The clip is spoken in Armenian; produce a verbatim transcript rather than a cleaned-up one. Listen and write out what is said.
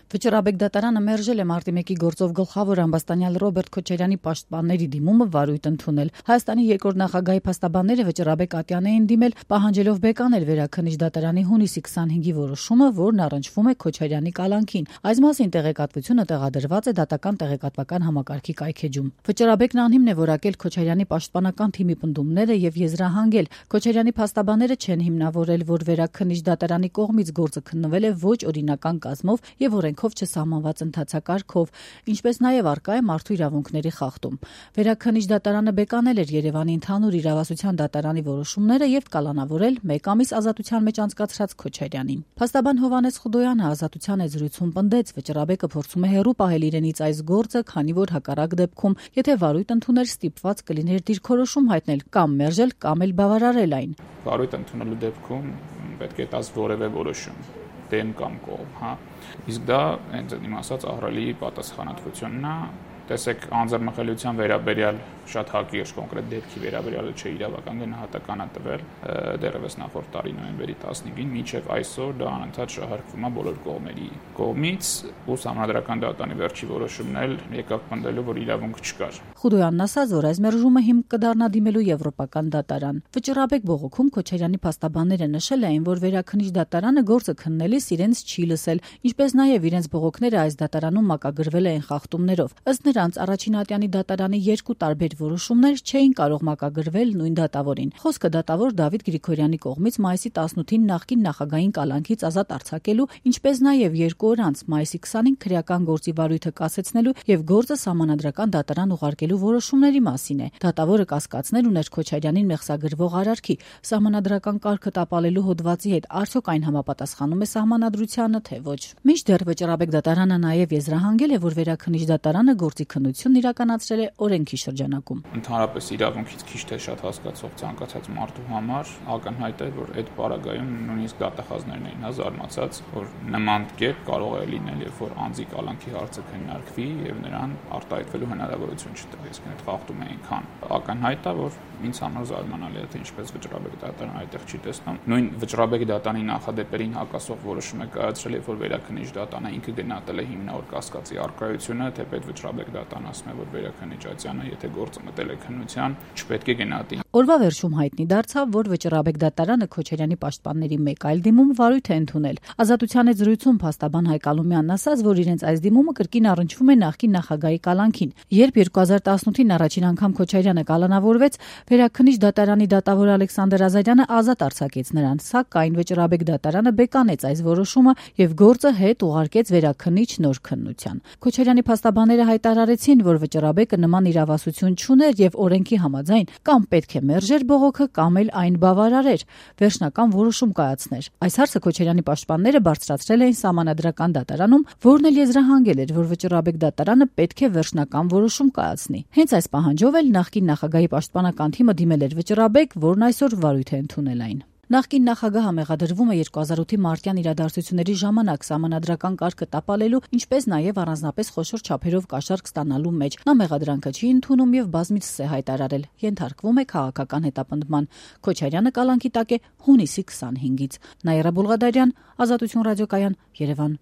Վճռաբեկ դատարանը մերժել է մարտի մեկի գործով գլխավոր ամբաստանյալ Ռոբերտ Քոչարյանի պաշտպանների դիմումը վարույթ ընդունել։ Հայաստանի երկրորդ նախագահի փաստաբանները Վճռաբեկ ատյան էին դիմել, պահանջելով բեկանել Վերաքննիչ դատարանի հունիսի քսանհինգի որոշումը, որն առնչվում է Քոչարյանի կալանքին։ Այս մասին տեղեկատվությունը տեղադրված է դատական տեղեկատվական համակարգի կայքեջում։ Վճռաբեկն անհիմն է որակել Քոչարյանի պաշտպանական թիմի պնդումները եւ եզրահանգել։ Քոչարյանի փաստաբանները չեն հիմնավորել, որ Վերաքննիչ դատարանի կողմից գործը քննվել է ոչ օրինական կազմով եւ օրենքով չսահմանված ընթացակարգով, ինչպես նաեւ առկա է մարդու իրավունքների խախտում։ Վերաքննիչ դատարանը բեկանել էր Երևանի ընդհանուր իրավասության դատարանի որոշումները եւ կալանավորել մեկ ամիս ազատության մեջ անցկացրած Քոչարյանին։ Փաստաբան Հովհաննես Խուդոյանը ազատության է զրույցում պնդեց, Վճռաբեկը փորձում է հեռու պահել իրենից այս գործը, քանի որ հակառակ դեպքում, եթե վարույթ ընդուներ, ստիպված կլիներ դիրքորոշում հայտնել կամ մերժել, կամ էլ բավարարել այն։ Վարույթ ընդունելու դեպքում պետք է տաս որևէ որոշում դեմ կամ կողմ, հա։ Իսկ դա հենց իմ ասած ահռելի պատասխանատվությունն է։ Տեսեք, անձեռնմխելիության վերաբերյալ շատ հակիրճ կոնկրետ դեպքի վերաբերյալ չէ իրավական գնահատական է տվել դեռևս նախորդ տարի նոյեմբերի տասնհինգին, մինչև այսօր դա անընդհատ շահարկվում է բոլոր կողմերի կողմից, ու Սահմանադրական դատարանի վերջի որոշումն էլ եկավ պնդելու, որ իրավունք չկար։ Խուդոյանն ասաց, որ այս մերժումը հիմք կդառնա դիմելու Եվրոպական դատարան։ Վճռաբեկ բողոքում Քոչարյանի փաստաբանները նշել էին, որ Վերաքննիչ դատարանը գործը քննելիս իրենց չի լսել, ինչպես նաև իրենց բողոքները այս դատարանում մակագրվել էին խախտումներով։ Ըստ նրանց առաջին ատյանի դատարանի երկու տարբեր որոշումներ չէին կարող մակագրվել նույն դատավորին։ Խոսքը դատավոր Դավիթ Գրիգորյանի կողմից մայիսի տասնութին նախկին նախագահին կալանքից ազատ արձակելու, ինչպես նաև երկու օր անց մայիսի քսանին քրեական գործի վարույթը կասեցնելու եւ գործը Սահմանադրական դատարան ուղարկելու որոշումների մասին է։ Դատավորը կասկածներ ուներ Քոչարյանին մեղսագրվող արարքի Սահմանադրական կարգը տապալելու հոդվածի հետ, արդյոք այն համապատասխանում է Սահմանադրությանը, թե ոչ։ Մինչդեռ Վճռաբեկ դատարանը նաև եզրահանգել է, որ Վերաքննիչ դատարանը գործի քննությունն իրականացրել է օրենքի շրջանակում։ Ընդհանրապես իրավունքից քիչ թե շատ հասկացող ցանկացած մարդու համար ակնհայտ է, որ այդ պարագայում նույնիսկ դատախազներն էին զարմացած, որ նման կերպ կարող է լինել, երբ որ անձի կալանքի հարցը քննարկվի եւ նրան արտահայտվելու հնարավորություն չտա, իսկ այդ խախտում է այնքան ակնհայտ է, որ ինձ համար զարմանալի է, թե ինչպես Վճռաբեկ դատարանը այդտեղ չի տեսնում։ Նույն Վճռաբեկ դատարանի նախադեպերին հակասող որոշում է կայացրել, երբ որ Վերաքննիչ դատարանը ինքը գնահատել է հիմնավոր կասկածի առկայությունը, թե պետք Վճռաբեկ դատարանը ասում է, որ Վերաքննիչ ատյանը, եթե գործը մտել է քննության, չպետք է գնահատի։ Օրվա վերջում հայտնի դարձավ, որ Վճռաբեկ դատարանը Քոչարյանի պաշտպանների մեկ այլ դիմում վարույթ է ընդունել։ Ազատության հետ զրույցում փաստաբան Հայկ Ալումյանն ասաց, որ իրենց այս դիմումը կրկին առնչվում է նախկին նախագահի կալանքին։ Երբ երկու հազար տասնութին առաջին անգամ Քոչարյանը կալանավորվեց, Վերաքննիչ դատարանի դատավոր Ալեքսանդր Ազարյանը ազատ արձակեց նրան, սակայն Վճռաբեկ դատարանը բեկանեց այս որոշումը եւ գործը հետ ուղարկեց Վերաքննիչ նոր քննության։ Քոչարյանի փաստաբանները հայտարարեցին, որ Վճռաբեկը նման իրավասություն չուներ եւ օրենքի համաձայն կամ պետք է մերժեր բողոքը, կամ էլ այն բավարարեր, վերջնական որոշում կայացներ։ Այս հարցը Քոչարյանի պաշտպանները բարձրացրել էին Սահմանադրական դատարանում, որն էլ եզրահանգել էր, որ Վճռաբեկ դատարանը պետք է վերջնական որոշում կայացնի։ Հենց այս պահանջով էլ նախկին նախագահի պաշտպանական թիմը դիմել էր Վճռաբեկ, որն այսօր վարույթ է ընդունել այն։ Նախկին նախագահը մեղադրվում է երկու հազար ութի մարտյան իրադարձությունների ժամանակ Սահմանադրական կարգը տապալելու, ինչպես նաև առանձնապես խոշոր չափերով կաշառք ստանալու մեջ։ Նա մեղադրանքը չի ընդունում եւ բազմիցս է հայտարարել, ենթարկվում է քաղաքական հետապնդման։ Քոչարյանը կալանքի տակ է հունիսի քսանհինգից։ Նաիրա Բուլղադարյան, Ազատություն ռադիոկայան, Երևան։